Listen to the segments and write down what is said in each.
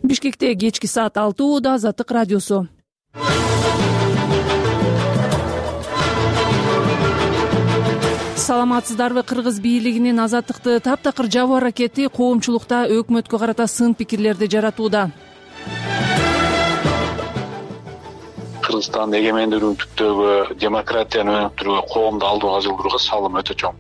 Бишкекте кечки саат 6:00 Азаттык радиосу. Саламатсыздарбы? Кыргыз бийлигинин азаттыкты таптакыр жабуу аракети коомчулукта өкмөткө карата сын пикирлерди жаратууда. Кыргызстандын эгемендүүлүгүн түптөгү демократияны өнүктүрүүгө, коомду алдыга жылдырууга салым өтө чоң.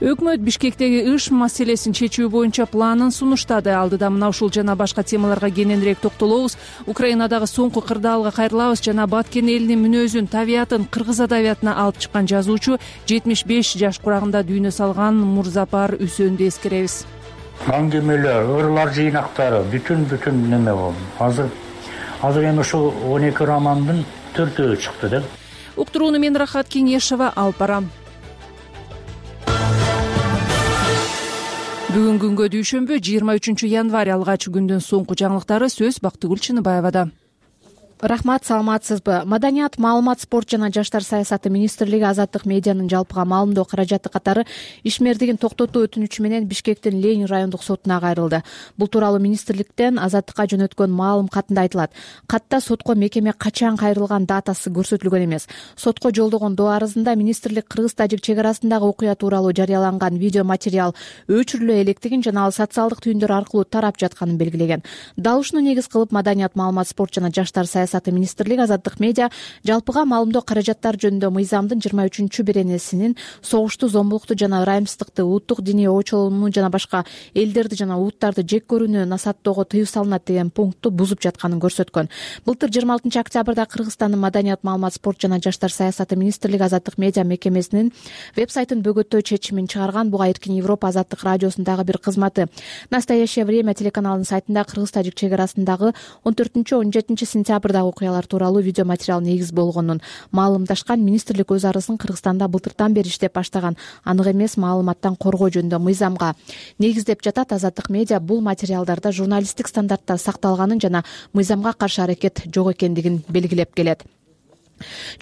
Өкмөт Бишкектеги ИШ маселесин чечүү боюнча планын сунуштады. Алдыда мына ушул жана башка темаларга кененирээк токтолобуз. Украинадагы соңку кырдаалга кайрылабыз жана Баткен элинин мүнөзүн, табиятын кыргыз адабиятына алып чыккан жазуучу 75 жаш курагында дүйнө салган Мурзапар Үсөндү эскеребиз. Аңгемелер, ырлар жыйнактары бүтүн неме болду. Азыр эми ушул 12 романдын 4-өө чыкты да. Уктурууну мен Рахат Кеңешова алып барам. Бүгүн күнгө дүйшөмбү 23 январь алгач күндүн соңку жаңылыктары сөз Бактыгүл Чыныбаевада. Рахмат, саламатсызбы? Маданият, маалымат, спорт жана жаштар саясаты министрлиги азаттык медианын жалпыга маалымдоо каражаты катары ишмердигин токтотуу өтүнүчү менен Бишкектин Ленин райондук сотуна кайрылды. Бул тууралуу министрликтен азаттыкка жөнөткөн маалым катында айтылат. Катта сотко мекеме качан кайрылган датасы көрсөтүлгөн эмес. Сотко жолдогон доо арызында министрлик кыргыз-тажик чек арасындагы окуя тууралуу жарыяланган видео материал өчүрүлө электигин жана ал социалдык түйүндөр аркылуу тарап жатканын белгилеген. Дал ушуну негиз кылып Маданият, маалымат, спорт жана жаштар саясаты министрлиги азаттык медиа жалпыга маалымдоо каражаттар жөнүндө мыйзамдын 23-беренесинин согушту, зомбулукту жана ырайымсыздыкты, улуттук диний оочолууну жана башка элдерди жана улуттарды жек көрүүнү насааттоого тыюу салынат деген пунктту бузуп жатканын көрсөткөн. Былтыр 26 октябрда Кыргызстандын Маданият, маалымат, спорт жана жаштар саясаты министрлиги азаттык медиа мекемесинин веб-сайтын бөгөттөө чечимин чыгарган. Буга Эркин Европа азаттык радиосундагы бир кызматы Настоящее время телеканалынын сайтында кыргыз-тажик чек арасындагы 14-17 сентябрда окуялар тууралуу видео материал негиз болгонун маалымдашкан. Министрлик өз арызын Кыргызстанда былтыртан бери иштеп баштаган анык эмес маалыматтан коргоо жөнүндө мыйзамга негиздеп жатат. Азаттык медиа бул материалдарда журналисттик стандарттар сакталганын жана мыйзамга каршы аракет жок экендигин белгилеп келет.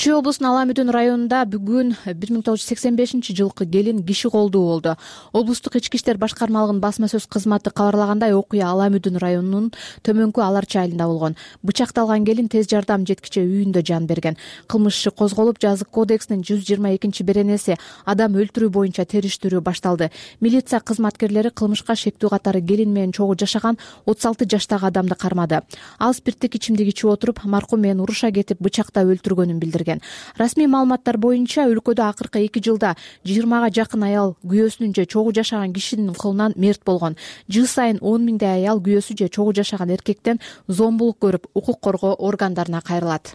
Чүй облусунун Ала Мүдүн районунда бүгүн 1985-жылкы келин киши колдуу болду. Облустук ички иштер башкармалыгынын басма сөз кызматы кабарлагандай, окуя Ала Мүдүн районунун Төмөнкү Аларчы айылында болгон. Бычакталган келин тез жардам жеткиче үйүндө жан берген. Кылмыш иши козголуп, жазык кодексинин 122-беренеси адам өлтүрүү боюнча териштирүү башталды. Милиция кызматкерлери кылмышка шектүү катары келин менен чогуу жашаган 36 жаштагы адамды кармады. Ал спирттик ичимдик ичип отуруп, маркум менен уруша кетип, бычактап өлтүргөн билдирген. Расмий маалыматтар боюнча өлкөдө акыркы 2 жылда 20га жакын аял күйөөсүнүн же чогуу жашаган кишинин колунан мерт болгон. Жыл сайын 10 миңдей аял күйөөсү же чогуу жашаган эркектен зомбулук көрүп, укук коргоо органдарына кайрылат.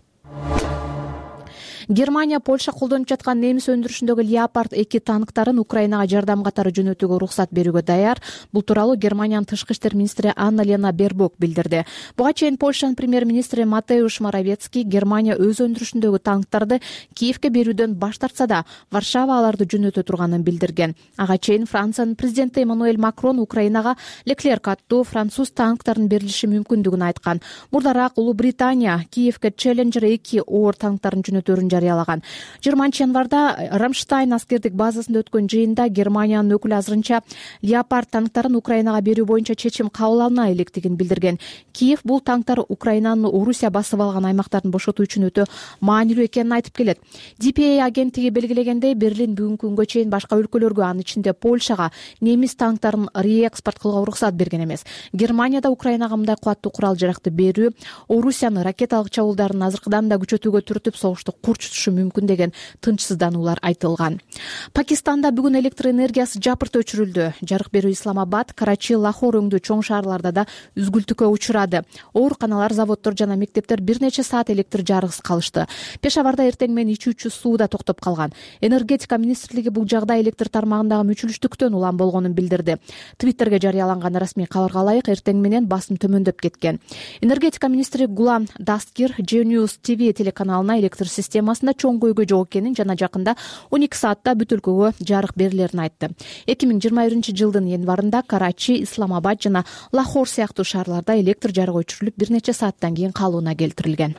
Германия Польша колдонуп жаткан немис өндүрүшүндөгү Leopard 2 танктарын Украинага жардам катары жөнөтүүгө уруксат берүүгө даяр. Бул тууралуу Германиянын тышкы иштер министри Анна-Лена Бербок билдирди. Буга чейин Польшанын премьер-министри Матеуш Моровецкий Германия өз өндүрүшүндөгү танктарды Киевке берүүдөн баш тартса да, Варшава аларды жөнөтө турганын билдирген. Ага чейин Франциянын президенти Эммануэль Макрон Украинага Leclerc аттуу француз танктарын берилиши мүмкүндүгүн айткан. Мурдараак Улуу Британия Киевке Challenger 2 оор танктарын жөнөтөөрүн жарыялаган. 20 январда Рамштайн аскердик базасында өткөн жыйында Германиянын өкүлү азырынча Leopard танктарын Украинага берүү боюнча чечим кабыл алына электигин билдирген. Киев бул танктар Украинанын Орусия басып алган аймактарын бошотуу үчүн өтө маанилүү экенин айтып келет. DPA агенттиги белгилегендей, Берлин бүгүнкү күнгө чейин башка өлкөлөргө, анын ичинде Польшага немис танктарын реэкспорт кылууга уруксат берген эмес. Германияда Украинага мындай кубаттуу курал жаракты берүү Орусиянын ракеталык чабуулдарын азыркыдан да күчөтүүгө түртүп, согушту курчутушу мүмкүн деген тынчсыздануулар айтылган. Пакистанда бүгүн электр энергиясы жапырт өчүрүлдү. Жарык берүү Исламабад, Карачи, Лахор өңдүү чоң шаарларда да үзгүлтүккө учурады. Ооруканалар, заводдор жана мектептер бир нече саат электр жарыксыз калышты. Пешаварда эртең менен ичүүчү суу да токтоп калган. Энергетика министрлиги бул жагдай электр тармагындагы мүчүлүштүктөн улам болгонун билдирди. Твиттерге жарыяланган расмий кабарга ылайык, эртең менен басым төмөндөп кеткен. Энергетика министри Гулам Дасткир Genius TV телеканалына электр системасында чоң көйгөй жок экенин жана жакында 12 саатта бүт өлкөгө жарык берилерин айтты. 2021-жылдын январында Карачи, Исламабад жана Лахор сыяктуу шаарларда электр жарыгы өчүрүлүп, бир нече сааттан кийин калыбына келтирилген.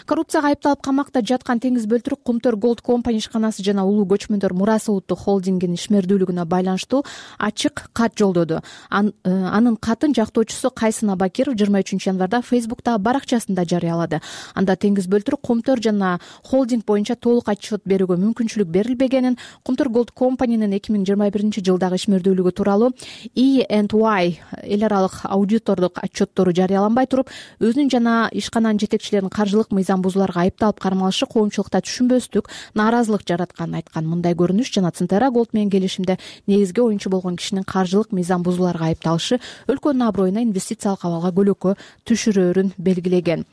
Коррупцияга айыпталып камакта жаткан Теңиз Бөлтүрк Кумтөр Gold Company ишканасы жана Улуу көчмөндөр мурасы улуттук холдингинин ишмердүүлүгүнө байланыштуу ачык кат жолдоду. Анын катын жактоочусу Кайсын Абакиров 23 январда Facebook'тагы баракчасында жарыялады. Анда Теңиз Бөлтүрк Кумтөр жана холдинг боюнча толук отчет берүүгө мүмкүнчүлүк берилбегенин, Кумтөр Gold Company'нин 2021 жылдагы ишмердүүлүгү тууралуу E&Y эл аралык аудитордук отчеттору жарыяланбай туруп, өзүнүн жана ишкананын жетекчилеринин каржылык мыйзам бузууларга айыпталып кармалышы коомчулукта түшүнбөстүк, нааразылык жаратканын айткан. Мындай көрүнүш жана Центера Голд менен келишимде негизги оюнчу болгон кишинин каржылык мыйзам бузууларга айыпталышы өлкөнүн аброюна инвестициялык абалга көлөкө түшүрөөрүн белгилеген.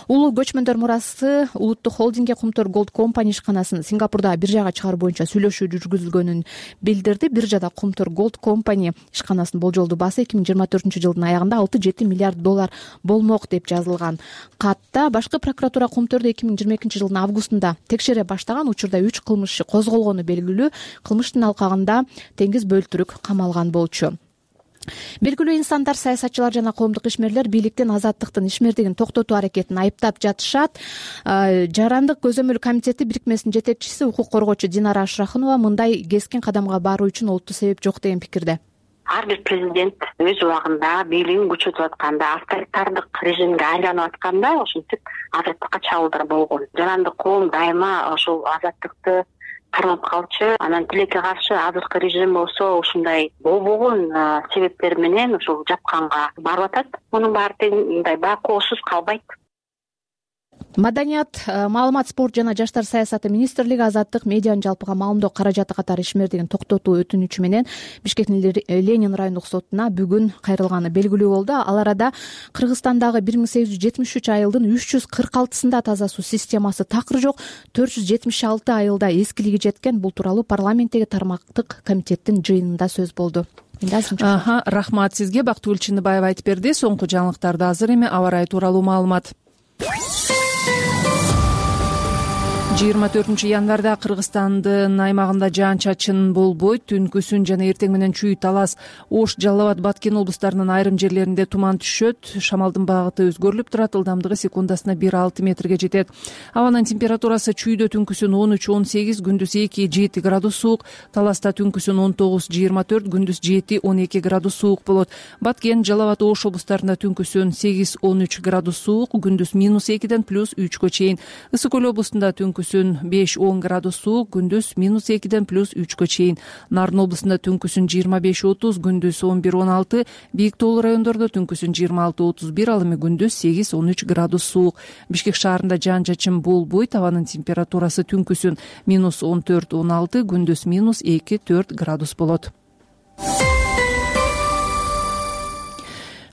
Улуу көчмөндөр мурасы улуттук холдингге Кумтөр Gold Company ишканасын Сингапурдагы биржага чыгаруу боюнча сүйлөшүү жүргүзүлгөнүн билдирди. Биржада Кумтөр Gold Company ишканасынын болжолдуу баасы 2024 жылдын аягында $6-7 миллиард болмок деп жазылган. Катта башкы прокуратура Кумтөрдү 2022 жылдын августунда текшере баштаган, учурда 3 кылмыш козголгону белгилүү. Кылмыштын алкагында Теңиз Бөлтүрк камалган болчу. Белгилүү инсандар, саясатчылар жана коомдук ишмерлер бийликтин азаттыктын ишмердигин токтотуу аракетин айыптап жатышат. Жарандык көзөмөл комитети бирикмесинин жетекчиси укук коргоочу Динара Ашрахунова мындай кескин кадамга баруу үчүн олуттуу себеп жок деген пикирде. Ар бир президент өз убагында бийлигин күчөтүп атканда, авторитардык режимге айланып атканда ошентип азаттыкка чабуулдар болгон. Жарандык коом дайыма ошол азаттыкты кармап калчу. Анан тилекке каршы азыркы режим болсо ушундай болбогон себептер менен ушул жапканга барып атат. Мунун баары тең мындай байкоосуз калбайт. Маданият, маалымат, спорт жана жаштар саясаты министрлиги азаттык медианын жалпыга маалымдоо каражаты катары ишмердигин токтотуу өтүнүчү менен Бишкектин Ленин райондук сотуна бүгүн кайрылганы белгилүү болду. Ал арада Кыргызстандагы 1873 айылдын 346-сында таза суу системасы такыр жок, 476 айылда эскилиги жеткен. Бул тууралуу парламенттеги тармактык комитеттин жыйынында сөз болду. Рахмат сизге. Бактыгүл Чыныбаева айтып берди. Соңку жаңылыктарды азыр эми аба ырайы тууралуу маалымат. 24 январда Кыргызстандын аймагында жаан-чачын болбойт. Түнкүсүн жана эртең менен чүй, Талас, Ош, Жалал Абад, Баткен облустарынын айрым жерлеринде туман түшөт. Шамалдын багыты өзгөрүлүп турат. Ылдамдыгы секундасына 1-6 метрге жетет. Абанын температурасы чүйдө түнкүсүн 13-18, күндүз 2-7 градус суук. Таласта түнкүсүн 19-24, күндүз 7-12 градус суук болот. Баткен, Жалал Абад, Ош облустарында түнкүсүн 8-13 градус суук, күндүз -2-ден +3 чейин. Ысык көл облустунда түнкүсүн 5-10 градус суук, күндүз -2-ден +3 чейин. Нарын облусунда түнкүсүн 25-30, күндүз 11-16, бийик тоолуу райондордо түнкүсүн 26-31, ал эми күндүз 8-13 градус суук. Бишкек шаарында жаан-чачын болбойт. Абанын температурасы түнкүсүн -14-16, күндүз -2-4 градус болот.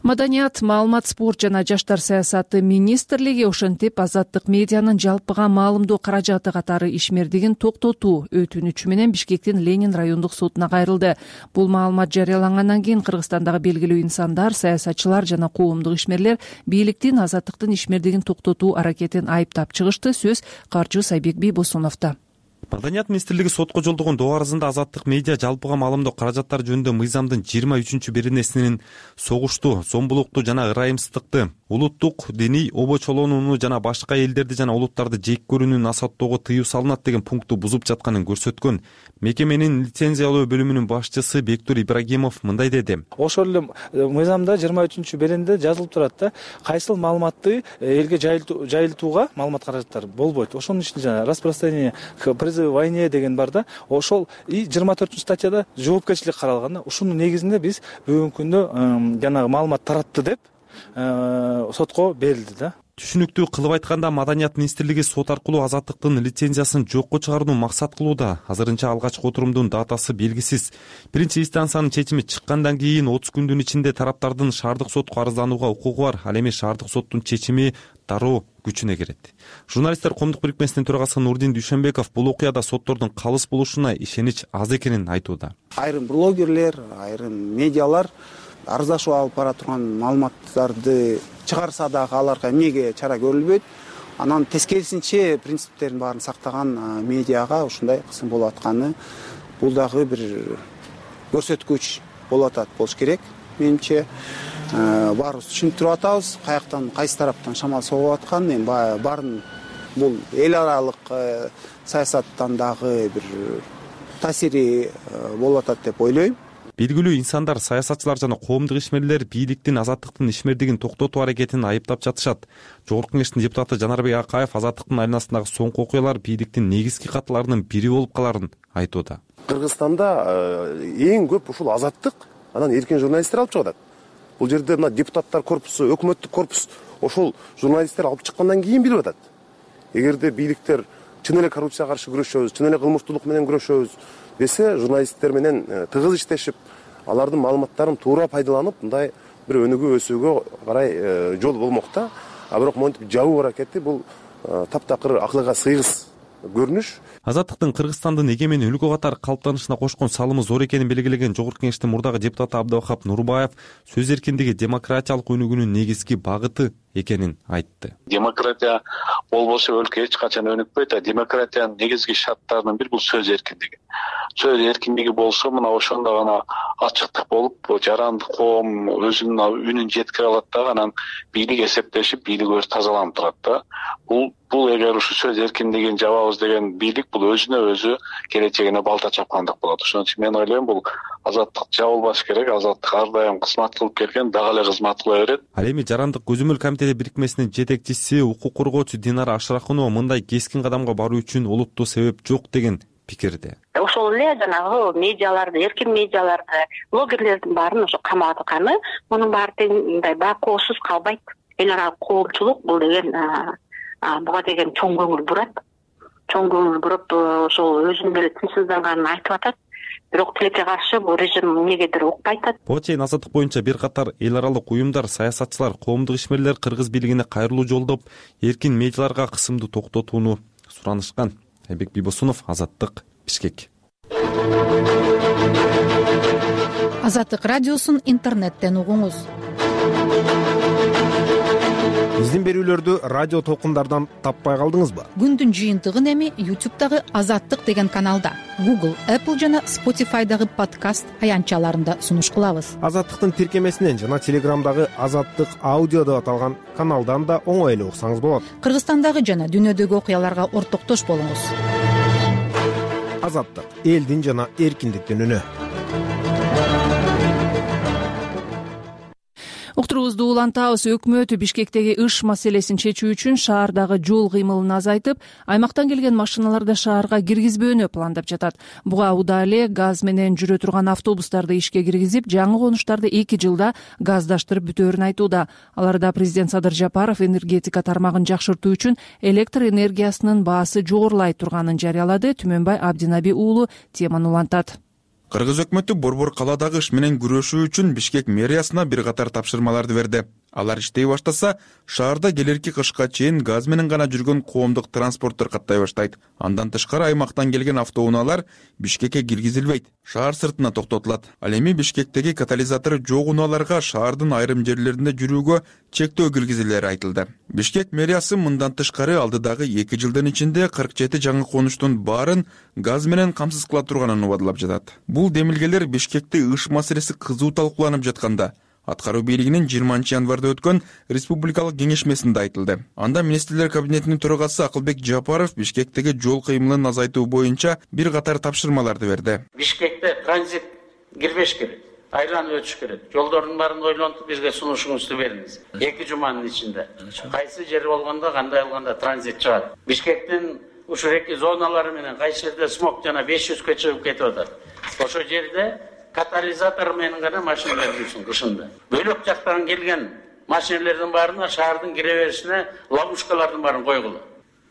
Маданият, маалымат, спорт жана жаштар саясаты министрлиги ошентип азаттык медианын жалпыга маалымдоо каражаты катары ишмердигин токтотуу өтүнүчү менен Бишкектин Ленин райондук сотуна кайрылды. Бул маалымат жарыялангандан кийин Кыргызстандагы белгилүү инсандар, саясатчылар жана коомдук ишмерлер бийликтин азаттыктын ишмердигин токтотуу аракетин айыптап чыгышты. Сөз Каржы Сайбек Бийбосуновдо. Маданият министрлиги сотко жолдогон доо арызында азаттык медиа жалпыга маалымдоо каражаттары жөнүндө мыйзамдын 23-беренесинин согушту, зомбулукту жана ырайымсыздыкты, улуттук диний обочолонууну жана башка элдерди жана улуттарды жек көрүүнү насааттоого тыюу салынат деген пункту бузуп жатканын көрсөткөн. Мекеменин лицензиялоо бөлүмүнүн башчысы Бектур Ибрагимов мындай деди. Ошол эле мыйзамда 23-беренде жазылып турат да, кайсыл маалыматты элге жайылтууга маалымат каражаттары болбойт. Ошонун ичинде жана распространение призыв войне деген бар да, ошол 24-статьяда жоопкерчилик каралган да. Ушунун негизинде биз бүгүнкү күндө жанагы маалымат таратты деп сотко берилди да. Түшүнүктүү кылып айтканда, Маданият министрлиги сот аркылуу азаттыктын лицензиясын жокко чыгарууну максат кылууда. Азырынча алгачкы отурумдун датасы белгисиз. Биринчи инстанциянын чечими чыккандан кийин 30 күндүн ичинде тараптардын шаардык сотко арызданууга укугу бар. Ал эми шаардык соттун чечими дароо күчүнө кирет. Журналисттер коомдук бирикмесинин төрагасы Нурдин Дүйшөнбеков бул окуяда соттордун калыс болушуна ишенич аз экенин айтууда. Айрым блогерлер, айрым медиалар арыздашуу алып бара турган маалыматтарды чыгарса дагы аларга эмнеге чара көрүлбөйт. Анан тескерисинче принциптерин баарын сактаган медиага ушундай кысым болуп атканы бул дагы бир көрсөткүч болуп атат болуш керек. Менимче баарыбыз түшүнүп туруп атабыз, каяктан кайсы тараптан шамал согуп атканын, эми баарын бул эл аралык саясаттан дагы бир таасири болуп атат деп ойлойм. Белгилүү инсандар, саясатчылар жана коомдук ишмерлер бийликтин азаттыктын ишмердигин токтотуу аракетин айыптап жатышат. Жогорку Кеңештин депутаты Жанарбек Акаев азаттыктын айланасындагы соңку окуялар бийликтин негизги катыларынын бири болуп каларын айтууда. Кыргызстанда эң көп ушул азаттык анан эркин журналисттер алып чыгат. Бул жерде мына депутаттар корпусу, өкмөттүк корпус ошол журналисттер алып чыккандан кийин билип атат. Эгерде бийликтер чын эле коррупцияга каршы күрөшөбүз, чын эле кылмыштуулук менен күрөшөбүз десе, журналисттер менен тыгыз иштешип, алардын маалыматтарын туура пайдаланып, мындай бир өнүгүү өсүүгө карай жол болмок да. А бирок монтип жабуу аракети бул таптакыр акылга сыйгыз көрүнүш. Азаттыктын Кыргызстандын эгемен өлкө катары калыптанышына кошкон салымы зор экенин белгилеген Жогорку Кеңештин мурдагы депутаты Абдывахап Нурбаев сөз эркиндиги демократиялык өнүгүүнүн негизги багыты экенин айтты. Демократия болбосо өлкө эч качан өнүкпөйт, а демократиянын негизги шарттарынын бири бул сөз эркиндиги. Сөз эркиндиги болсо, мына ошондо гана ачыктык болуп, жарандык коом өзүнүн үнүн жеткире алат да, анан бийлик эсептешип, бийлик өзү тазаланып турат да. Бул эгер ушу сөз эркиндигин жабабыз деген бийлик, бул өзүнө өзү келечегине балта чапкандык болот. Ошон үчүн мен ойлойм, бул азаттык жабылбаш керек. Азаттык ар дайым кызмат кылып келген, дагы эле кызмат кыла берет. Ал эми Жарандык көзөмөл комитети бирикмесинин жетекчиси, укук коргоочу Динара Ашракунова мындай кескин кадамга баруу үчүн олуттуу себеп жок деген пикирде. Ошол эле жанагы медиаларды, эркин медиаларды, блогерлердин баарын ошо камап атканы, мунун баары мындай байкоосуз калбайт. Эл аралык коомчулук бул деген буга деген чоң көңүл бурат. Чоң көңүл буруп, ошол өзүнүн эле тынчсызданганын айтып атат. Бирок тилекке каршы бул режим эмнегедир укпай атат. Буга чейин азаттык боюнча бир катар эл аралык уюмдар, саясатчылар, коомдук ишмерлер кыргыз бийлигине кайрылуу жолдоп, эркин медиаларга кысымды токтотууну суранышкан. Айбек Бибосунов, Азаттык, Бишкек. Азаттык радиосун интернеттен угуңуз. Биздин берүүлөрдү радио толкундардан таппай калдыңызбы? Күндүн жыйынтыгын эми YouTube'дагы Азаттык деген каналда, Google, Apple жана Spotify'дагы подкаст аянтчаларында сунуш кылабыз. Азаттыктын тиркемесинен жана Телеграмдагы Азаттык аудио деп аталган каналдан да оңой эле уксаңыз болот. Кыргызстандагы жана дүйнөдөгү окуяларга ортоктош болуңуз. Азаттык, элдин жана эркиндиктин үнү. Уктуруубузду улантабыз. Өкмөт Бишкектеги ыш маселесин чечүү үчүн шаардагы жол кыймылын азайтып, аймактан келген машиналарды шаарга киргизбөөнү пландап жатат. Буга удаа эле газ менен жүрө турган автобустарды ишке киргизип, жаңы конуштарды 2 жылда газдаштырып бүтөөрүн айтууда. Аларда президент Садыр Жапаров энергетика тармагын жакшыртуу үчүн электр энергиясынын баасы жогорулай турганын жарыялады. Түмөнбай Абдинаби уулу теманы улантат. Кыргыз өкмөтү борбор калаадагы ыш менен күрөшүү үчүн Бишкек мэриясына бир катар тапшырмаларды берди. Алар иштей баштаса, шаарда келерки кышка чейин газ менен гана жүргөн коомдук транспорттор каттай баштайт. Андан тышкары аймактан келген автоунаалар Бишкекке киргизилбейт, шаар сыртына токтотулат. Ал эми Бишкектеги катализатору жок унааларга шаардын айрым жерлеринде жүрүүгө чектөө киргизилери айтылды. Бишкек мэриясы мындан тышкары алдыдагы 2 жылдын ичинде 47 жаңы конуштун баарын газ менен камсыз кыла турганын убадылап жатат. Бул демилгелер Бишкекте ыш маселеси кызуу талкууланып жатканда аткаруу бийлигинин 20 январда өткөн республикалык кеңешмесинде айтылды. Анда министрлер кабинетинин төрагасы Акылбек Жапаров Бишкектеги жол кыймылын азайтуу боюнча бир катар тапшырмаларды берди. Бишкекте транзит кирбеш керек, айланып өтүш керек. Жолдордун баарын ойлонуп бизге сунушуңузду бериңиз. 2 жуманын ичинде кайсы жер болгондо, кандай болгондо транзит чыгат. Бишкектин ушул эки зоналары менен кайсы жерде смог жана 500 чыгып кетип атат. Ошол жерде катализатор менен гана машиналар жүрсүн кышында. Бөлөк жактан келген машиналардын баарына шаардын кире беришине ловушкалардын баарын койгула.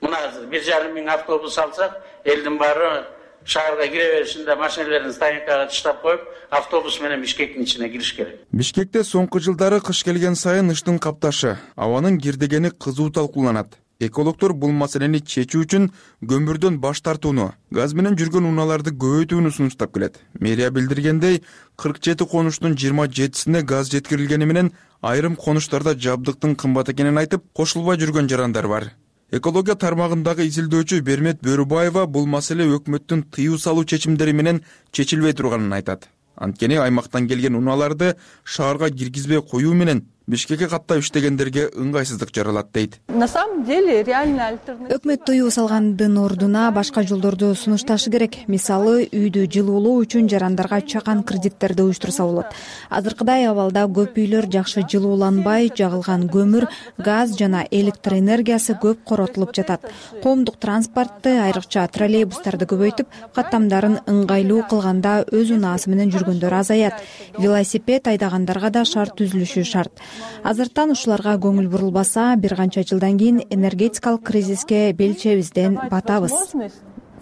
Мына азыр 1,5 миң автобус алсак, элдин баары шаарга кире беришинде машиналарын стоянкага таштап коюп, автобус менен Бишкектин ичине кириш керек. Бишкекте соңку жылдары кыш келген сайын ыштын капташы, абанын кирдегени кызуу талкууланат. Экологдор бул маселени чечүү үчүн көмүрдөн баш тартууну, газ менен жүргөн унааларды көбөйтүүнү сунуштап келет. Мэрия билдиргендей, 47 конуштун 27сине газ жеткирилгени менен айрым конуштарда жабдыктын кымбат экенин айтып, кошулбай жүргөн жарандар бар. Экология тармагындагы изилдөөчү Бермет Бөрүбаева бул маселе өкмөттүн тыюу салуу чечимдери менен чечилбей турганын айтат. Анткени аймактан келген унааларды шаарга киргизбей коюу менен Бишкекке каттап иштегендерге ыңгайсыздык жаралат дейт. На самом деле реально альтернатива. Өкмөт тыюу салгандын ордуна башка жолдорду сунушташы керек. Мисалы, үйдү жылуулоо үчүн жарандарга чакан кредиттерди уюштурса болот. Азыркыдай абалда көп үйлөр жакшы жылууланбай, жагылган көмүр, газ жана электр энергиясы көп коротулуп жатат. Коомдук транспортты, айрыкча троллейбустарды көбөйтүп, каттамдарын ыңгайлуу кылганда өз унаасы менен жүргөндөр азаят. Велосипед айдагандарга да шарт түзүлүшү шарт. Азыртан ушуларга көңүл бурулбаса, бир канча жылдан кийин энергетикалык кризиске белчебизден батабыз.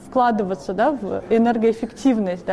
Вкладываться, в энергоэффективность,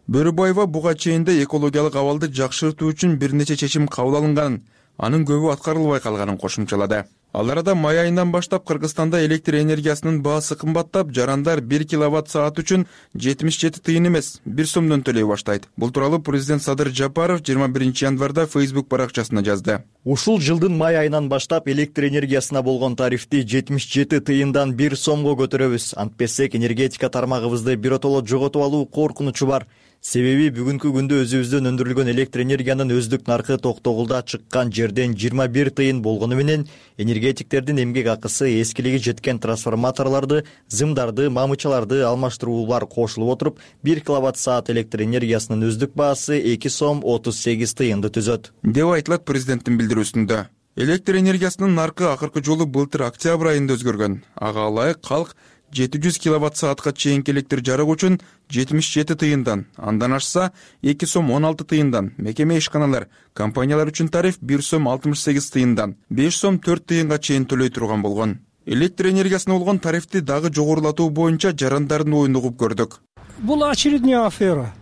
Бөрүбаева буга чейин да экологиялык абалды жакшыртуу үчүн бир нече чечим кабыл алынганын, анын көбү аткарылбай калганын кошумчалады. Ал арада май айынан баштап Кыргызстанда электр энергиясынын баасы кымбаттап, жарандар 1 киловатт-саат үчүн 77 тыйын эмес, 1 сомдон төлөй баштайт. Бул тууралуу президент Садыр Жапаров 21 январда Facebook баракчасына жазды. Ушул жылдын май айынан баштап электр энергиясына болгон тарифти 77 тыйындан 1 сомго көтөрөбүз. Антпесек энергетика тармагыбызды биротоло жоготуп алуу коркунучу бар. Себеби бүгүнкү күндө өзүбүздөн өндүрүлгөн электр энергиянын өздүк наркы Токтогулда чыккан жерден 21 тыйын болгону менен энергетиктердин эмгек акысы, эскилиги жеткен трансформаторлорду, зымдарды, мамычаларды алмаштыруулар кошулуп отуруп, 1 киловатт-саат электр энергиясынын өздүк баасы 2 сом 38 тыйынды түзөт, деп айтылат президенттин билдирүүсүндө. Электр энергиясынын наркы акыркы жолу былтыр октябрь айында өзгөргөн. Ага ылайык калк 700 киловатт-саатка чейинки электр жарык үчүн 77 тыйындан, андан ашса 2 сом 16 тыйындан, мекеме ишканалар, компаниялар үчүн тариф 1 сом 68 тыйындан, 5 сом 4 тыйынга чейин төлөй турган болгон. Электр энергиясына болгон тарифти дагы жогорулатуу боюнча жарандардын оюн угуп көрдүк. Бул очередная афера.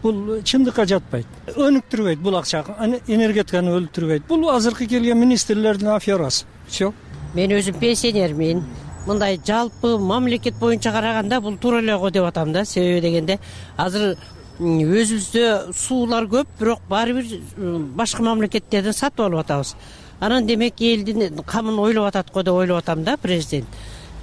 Бул чындыкка жатпайт. Өнүктүрбөйт бул акча, энергетиканы өлтүрбөйт. Бул азыркы келген министрлердин аферасы. Все. Мен өзүм пенсионермин. Мындай жалпы мамлекет боюнча караганда бул туура эле го деп атам да. Себеби дегенде азыр өзүбүздө суулар көп, бирок баары бир башка мамлекеттерден сатып алып атабыз. Анан демек элдин камын ойлоп атат го деп ойлоп атам да президент.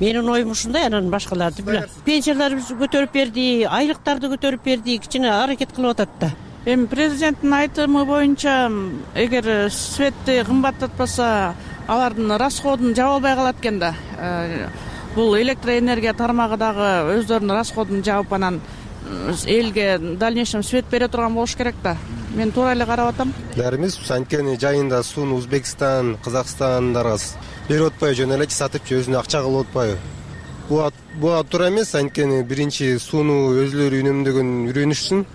Менин оюм ушундай, анан башкаларды билем. Пенсияларыбызды көтөрүп берди, айлыктарды көтөрүп берди, кичине аракет кылып атат да. Эми президенттин айтымы боюнча, эгер светти кымбаттатпаса, алардын расходун жаба албай калат экен да. Бул электроэнергия тармагы дагы өздөрүнүн расходун жаап, анан элге дальнейшем свет бере турган болуш керек да. Мен туура эле карап атам. Баарыбыз анткени жайында сууну Өзбекстан, Казакстандарга берип атпайбы, жөн эле сатып өзүнө акча кылып атпайбы? Буга туура эмес, анткени биринчи сууну өзүлөрү үнөмдөгөн үйрөнүшсүн,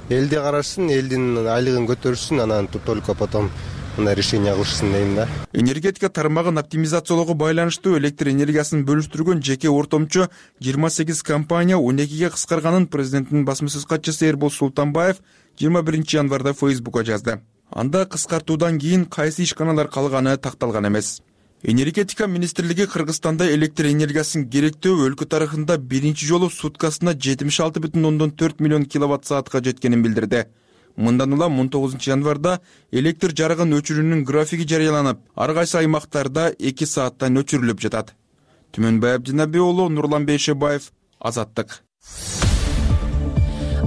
элди карашсын, элдин айлыгын көтөрүшсүн, анан только потом мындай решение кылышсын дейм да. Энергетика тармагын оптимизациялоого байланыштуу электр энергиясын бөлүштүргөн жеке ортомчу 28 компания 12ге кыскарганын президенттин басма сөз катчысы Эрбол Султанбаев 21 январда Facebook'a жазды. Анда кыскартуудан кийин кайсы ишканалар калганы такталган эмес. Энергетика министрлиги Кыргызстанда электр энергиясын керектөө өлкө тарыхында биринчи жолу суткасына 76,4 миллион киловатт-саатка жеткенин билдирди. Мындан улам 19 январда электр жарыгын өчүрүүнүн графиги жарыяланып, ар кайсы аймактарда 2 сааттан өчүрүлүп жатат. Түмөнбай Абдинабий уулу, Нурлан Бейшебаев, Азаттык.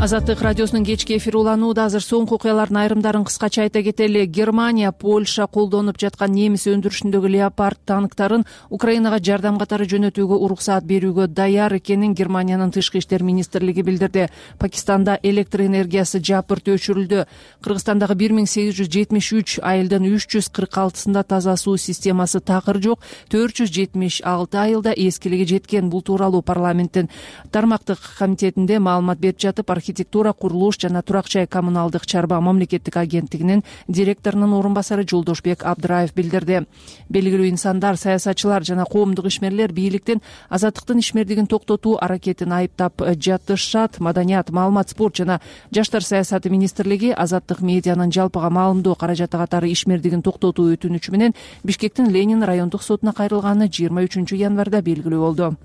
Азаттык радиосунун кечки эфири уланууда. Азыр соңку окуялардын айрымдарын кыскача айта кетели. Германия, Польша колдонуп жаткан немис өндүрүшүндөгү Леопард танктарын Украинага жардам катары жөнөтүүгө уруксаат берүүгө даяр экенин Германиянын тышкы иштер министрлиги билдирди. Пакистанда электр энергиясы жапырт өчүрүлдү. Кыргызстандагы 1873 айылдын 346-сында таза суу системасы такыр жок, 476 айылда эскилиги жеткен. Бул тууралуу парламенттин тармактык комитетинде маалымат берип жатып, архитектура, курулуш жана турак жай коммуналдык чарба мамлекеттик агенттигинин директорунун орун басары Жолдошбек Абдыраев билдирди. Белгилүү инсандар, саясатчылар жана коомдук ишмерлер бийликтин азаттыктын ишмердигин токтотуу аракетин айыптап жатышат. Маданият, маалымат, спорт жана жаштар саясаты министрлиги азаттык медианын жалпыга маалымдоо каражаты катары ишмердигин токтотуу өтүнүчү менен Бишкектин Ленин райондук сотуна кайрылганы 23 январда белгилүү болду.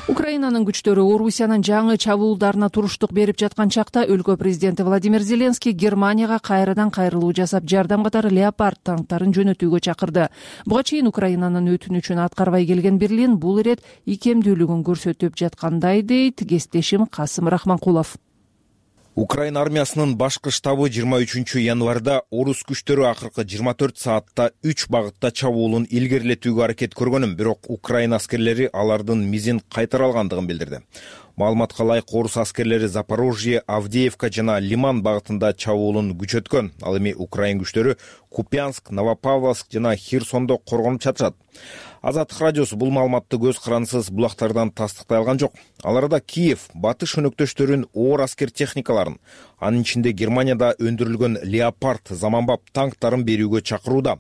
Украинанын күчтөрү Орусиянын жаңы чабуулдарына туруштук берип жаткан чакта өлкө президенти Владимир Зеленский Германияга кайрадан кайрылуу жасап, жардам катары Леопард танктарын жөнөтүүгө чакырды. Буга чейин Украинанын өтүнүчүн аткарбай келген Берлин бул ирет икемдүүлүгүн көрсөтүп жаткандай дейт кесиптешим Касым Рахманкулов. Украина армиясынын башкы штабы 23 январда орус күчтөрү акыркы 24 саатта 3 багытта чабуулун илгерилетүүгө аракет көргөнүн, бирок Украина аскерлери алардын мизин кайтара алгандыгын билдирди. Маалыматка ылайык, орус аскерлери Запорожье, Авдеевка жана Лиман багытында чабуулун күчөткөн. Ал эми Украин күчтөрү Купянск, Новопавловск жана Херсондо коргонуп жатышат. Азаттык радиосу бул маалыматты көз карансыз булактардан тастыктай алган жок. Ал арада Киев батыш өнөктөштөрүн оор аскер техникаларын, анын ичинде Германияда өндүрүлгөн Леопард заманбап танктарын берүүгө чакырууда.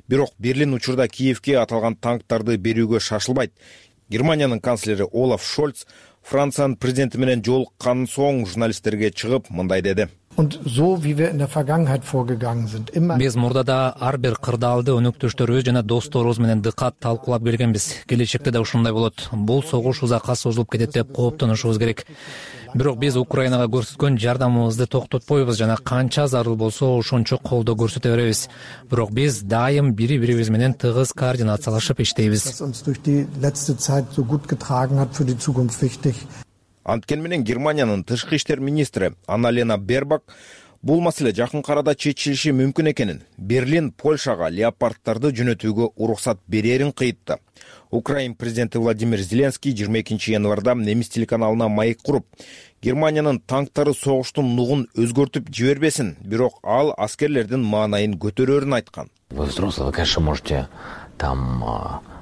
Бирок Берлин учурда Киевке аталган танктарды берүүгө шашылбайт. Германиянын канцлери Олаф Шольц Франциянын президенти менен жолуккандан соң журналисттерге чыгып мындай деди. Биз мурда да ар бир кырдаалды өнөктөштөрүбүз жана досторубуз менен дыкат талкуулап келгенбиз. Келечекте да ушундай болот. Бул согуш узакка созулуп кетет деп кооптонушубуз керек. Бирок биз Украинага көрсөткөн жардамыбызды токтотпойбуз жана канча зарыл болсо ошончо колдоо көрсөтө беребиз. Бирок биз дайым бири-бирибиз менен тыгыз координациялашып иштейбиз. Анткени менен Германиянын тышкы иштер министри Анна-Лена Бербак бул маселе жакын арада чечилиши мүмкүн экенин, Берлин Польшага леопарддарды жөнөтүүгө уруксат берерин кыйтты. Украин президенти Владимир Зеленский 22 январда немис телеканалына маек куруп, Германиянын танктары согуштун нугун өзгөртүп жибербесин, бирок ал аскерлердин маанайын көтөрөрүн айткан. Вы взрослый, вы, конечно, можете там,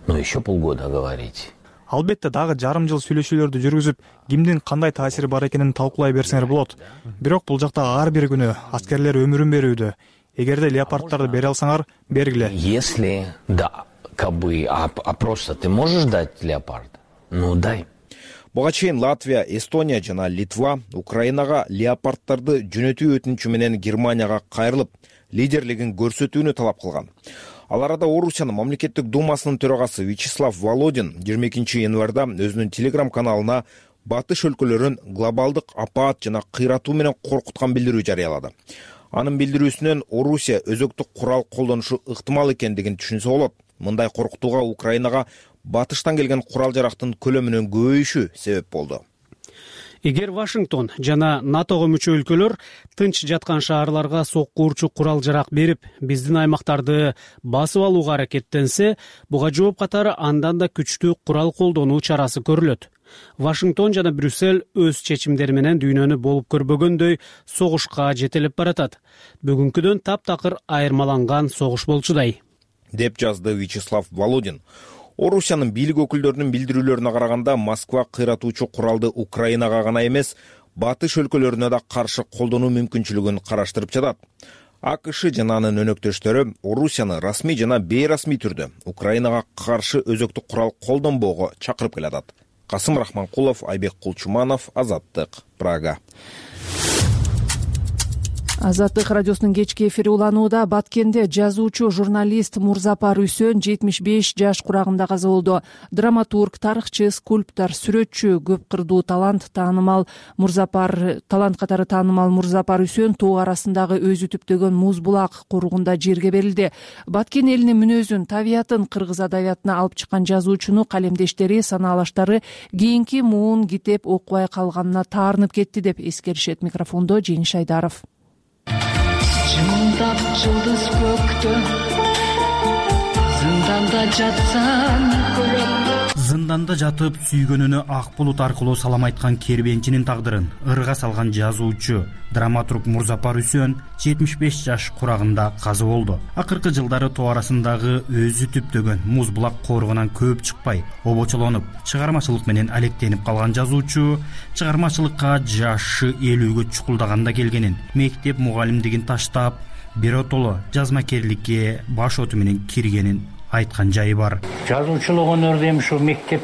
еще полгода говорить. Албетте дагы жарым жыл сүйлөшүүлөрдү жүргүзүп, кимдин кандай таасири бар экенин талкуулай берсеңер болот. Бирок бул жакта ар бир күнү аскерлер өмүрүн берүүдө. Эгерде леопарддарды бере алсаңар, бергиле. Если да, как бы, а просто ты можешь дать леопард? Ну дай. Буга чейин Латвия, Эстония жана Литва Украинага леопарддарды жөнөтүү өтүнүчү менен Германияга кайрылып, лидерлигин көрсөтүүнү талап кылган. Ал арада Орусиянын мамлекеттик думасынын төрагасы Вячеслав Володин 22 январда өзүнүн Telegram каналына батыш өлкөлөрүн глобалдык апаат жана кыйратуу менен коркуткан билдирүү жарыялады. Анын билдирүүсүнөн Орусия өзөктүк курал колдонушу ыктымал экендигин түшүнсө болот. Мындай коркутууга Украинага батыштан келген курал жарактын көлөмүнүн көбөйүшү себеп болду. Эгер Вашингтон жана НАТОго мүчө өлкөлөр тынч жаткан шаарларга сокку урчу курал жарак берип, биздин аймактарды басып алууга аракеттенсе, буга жооп катары андан да күчтүү курал колдонуу чарасы көрүлөт. Вашингтон жана Брюссель өз чечимдери менен дүйнөнү болуп көрбөгөндөй согушка жетелеп баратат. Бүгүнкүдөн таптакыр айырмаланган согуш болчудай, деп жазды Вячеслав Володин. Орусиянын бийлик өкүлдөрүнүн билдирүүлөрүнө караганда, Москва кыйратуучу куралды Украинага гана эмес, батыш өлкөлөрүнө да каршы колдонуу мүмкүнчүлүгүн караштырып жатат. АКШ жана анын өнөктөштөрү Орусияны расмий жана бейрасмий түрдө Украинага каршы өзөктүк курал колдонбоого чакырып келатат. Касым Рахманкулов, Айбек Кулчуманов, Азаттык, Прага. Азаттык радиосунун кечки эфири уланууда. Баткенде жазуучу журналист Мурзапар Үсөн 75 жаш курагында каза болду. Драматург, тарыхчы, скульптор, сүрөтчү, көп кырдуу талант катары таанымал Мурзапар Үсөн тоо арасындагы өзү түптөгөн Муз булак коругунда жерге берилди. Баткен элинин мүнөзүн, табиятын кыргыз адабиятына алып чыккан жазуучуну калемдештери, санаалаштары кийинки муун китеп окубай калганына таарынып кетти деп эскеришет. Микрофондо Жеңиш Айдаров. Жымылдап жылдыз көктө зынданда жатсам көрөм. Зынданда жатып сүйгөнүнө ак булут аркылуу салам айткан кербенчинин тагдырын ырга салган жазуучу, драматург Мурзапар Үсөн 75 жаш курагында каза болду. Акыркы жылдары тоо арасындагы өзү түптөгөн Муз булак коругунан көп чыкпай, обочолонуп, чыгармачылык менен алектенип калган жазуучу чыгармачылыкка жашы 50гө чукулдаганда келгенин, мектеп мугалимдигин таштап, биротоло жазмакерликке баш оту менен киргенин айткан жайы бар. Жазуучулук өнөрдө эми ушу мектеп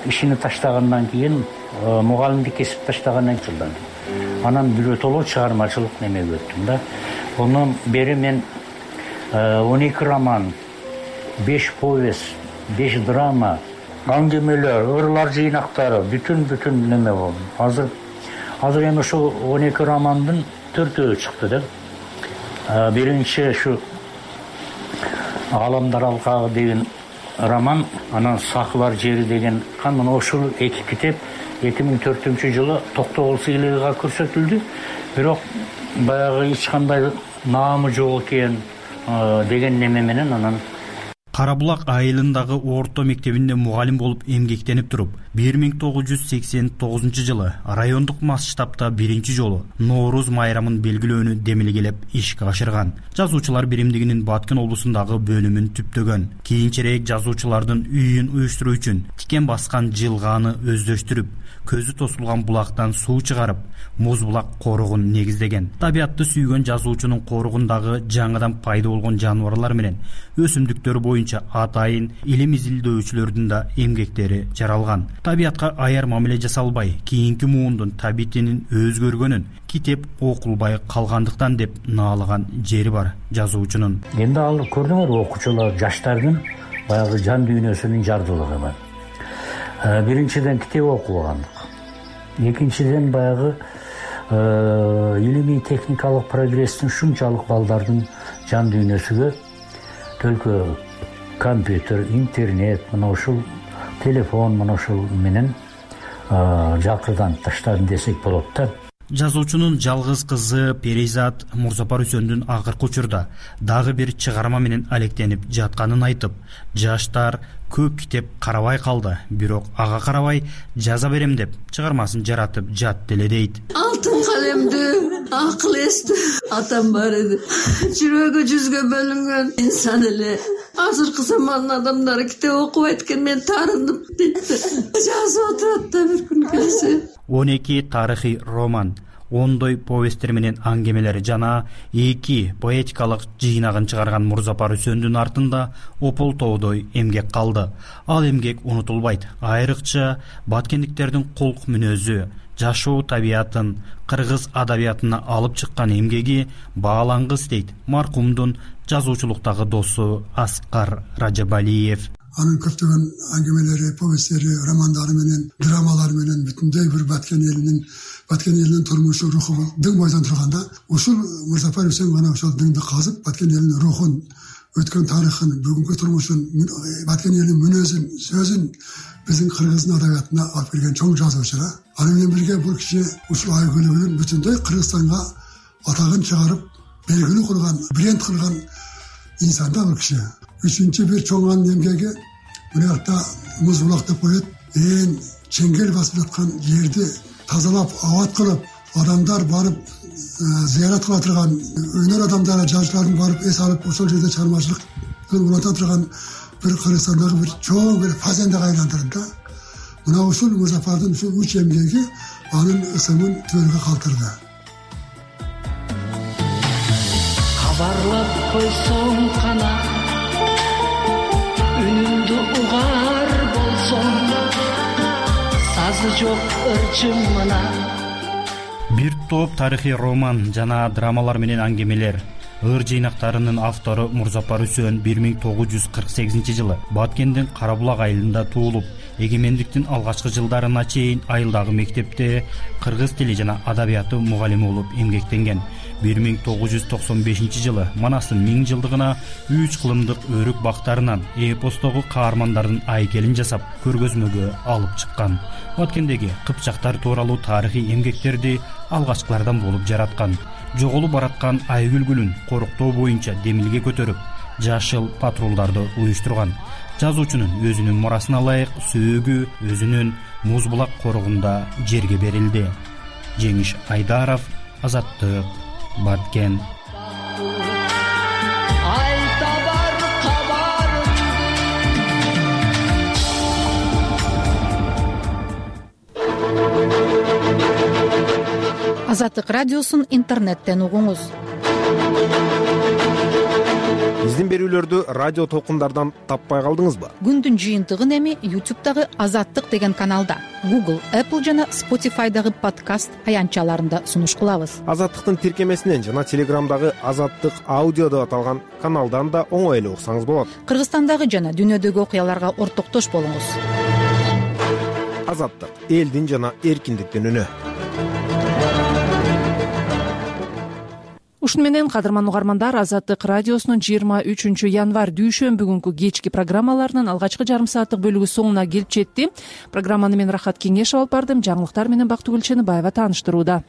ишини таштагандан кийин, мугалимдик кесип таштагандан кийин анан биротоло чыгармачылык немеге өттүм да. Ондан бери мен 12 роман, 5 повесть, 5 драма, аңгемелер, ырлар жыйнактары, бүтүн неме болду. Азыр эми ушу 12 романдын 4-өө чыкты да. Биринчи ушу Аламдар алкагы деген роман, анан Сакылар жери деген мына ушул эки китеп 2004-жылы Токтогул сыйлыгыга көрсөтүлдү. Бирок баягы эч кандай наамы жок экен деген неме менен анан Кара Булак айылындагы орто мектебинде мугалим болуп эмгектенип туруп, 1989-жылы райондук масштабта биринчи жолу Нооруз майрамын белгилөөнү демилгелеп ишке ашырган. Жазуучулар биримдигинин Баткен облусундагы бөлүмүн түптөгөн. Кийинчерээк жазуучулардын үйүн уюштуруу үчүн тикен баскан жылгааны өздөштүрүп, көзү тосулган булактан суу чыгарып, Муз булак коругун негиздеген. Табиатты сүйгөн жазуучунун коругундагы жаңыдан пайда болгон жаныбарлар менен өсүмдүктөр боюнча атайын илим изилдөөчүлөрдүн да эмгектери жаралган. Табиатка аяр мамиле жасалбай, кийинки муундун табитинин өзгөргөнүн китеп окулбай калгандыктан деп наалаган жери бар жазуучунун. Эми ал көрдүңөр, окуучулар, жаштардын баягы жан дүйнөсүнүн жардылыгы бар. Биринчиден китеп окубагандык. Экинчиден баягы илимий техникалык прогресстин ушунчалык балдардын жан дүйнөсүгө төлкө компьютер, интернет, мына ушул телефон, мына ушул менен жакырдан таштадым десек болот да. Жазуучунун жалгыз кызы Перизат Мурзапар Үсөндүн акыркы учурда дагы бир чыгарма менен алектенип жатканын айтып, жаштар көп китеп карабай калды, бирок ага карабай жаза берем деп чыгармасын жаратып жатты эле дейт. Алтын калемдүү, акыл эстүү атам бар эди. Жүрөгү жүзгө бөлүнгөн инсан эле. Азыркы замандын адамдары китеп окубайт экен, мен таарынып дейт. Жазып отурат да бир күн келсе. 12 тарыхый роман, ондой повесттер менен аңгемелери жана 2 поэтикалык жыйнагын чыгарган Мурзапар Үсөндүн артында ополтоодой эмгек калды. Ал эмгек унутулбайт. Айрыкча баткендиктердин кулк мүнөзү, жашоо табиятын кыргыз адабиятына алып чыккан эмгеги баалангыс дейт маркумдун жазуучулуктагы досу Аскар Ражабалиев. Анын көптөгөн аңгемелери, повесттери, романдары менен, драмалары менен бүтүндөй бир Баткен элинин турмушу, руху дың бойдон турганда, ушул Мурзапар Үсөн гана ошол дыңды казып, Баткен элинин рухун, өткөн тарыхын, бүгүнкү турмушун, Баткен элинин мүнөзүн, сөзүн биздин кыргыздын адабиятына алып келген чоң жазуучу. Аны менен бирге бул киши ушул айгүлүгүн бүтүндөй Кыргызстанга атагын чыгарып, белгилүү кылган, бренд кылган инсан да бул киши. Үчүнчү бир чоң анын эмгеги мына жакта Муз булак деп коет. Чеңгел басып жаткан жерди тазалап, абат кылып, адамдар барып зыярат кыла турган, өнөр адамдары, жазуучулардын барып эс алып, ошол жерде чыгармачылык уланта турган бир Кыргызстандагы бир чоң бир фазендага айландырды да. Мына ушул Мурзапардын ушул үч эмгеги анын ысымын түбөлгө калтырды. Кабарлап койсоң кана үнүмдү угар болсоң, сазы жок ырчымына. Бир топ тарыхый роман жана драмалар менен аңгемелер. Ыр жыйнактарынын автору Мурзапар Үсөн 1948-жылы Баткендин Кара Булак айылында туулуп, эгемендиктин алгачкы жылдарына чейин айылдагы мектепте кыргыз тили жана адабияты мугалими болуп эмгектенген. 1995-жылы Манастын 1000 жылдыгына 3 кылымдык өрүк бактарынан эпостогу каармандардын айкелин жасап, көргөзмөгө алып чыккан. Баткендеги кыпчактар тууралуу тарыхый эмгектерди алгачкылардан болуп жараткан. Жоголуп бараткан айгүлгүлүн коруктоо боюнча демилге көтөрүп, жашыл патрулдарды уюштурган. Жазуучунун өзүнүн мурасына ылайык сөөгү өзүнүн Муз булак коругунда жерге берилди. Жеңиш Айдаров, Азаттык, Баткен. Азаттык радиосун интернеттен угуңуз. Биздин берүүлөрдү радио толкундардан таппай калдыңызбы? Күндүн жыйынтыгын эми YouTube'дагы Азаттык деген каналда, Google, Apple жана Spotify'дагы подкаст аянтчаларында сунуш кылабыз. Азаттыктын тиркемесинен жана Телеграмдагы Азаттык аудио деп аталган каналдан да оңой эле уксаңыз болот. Кыргызстандагы жана дүйнөдөгү окуяларга ортоктош болуңуз. Азаттык — элдин жана эркиндиктин үнү. ушуну менен кадырман угармандар, Азаттык радиосунун 23 январь дүйшөмбү кечки программаларынын алгачкы жарым сааттык бөлүгү соңуна келип жетти. Программаны мен Рахат Кеңешов алып бардым. Жаңылыктар менен Бактыгүл Ченебаева тааныштырууда.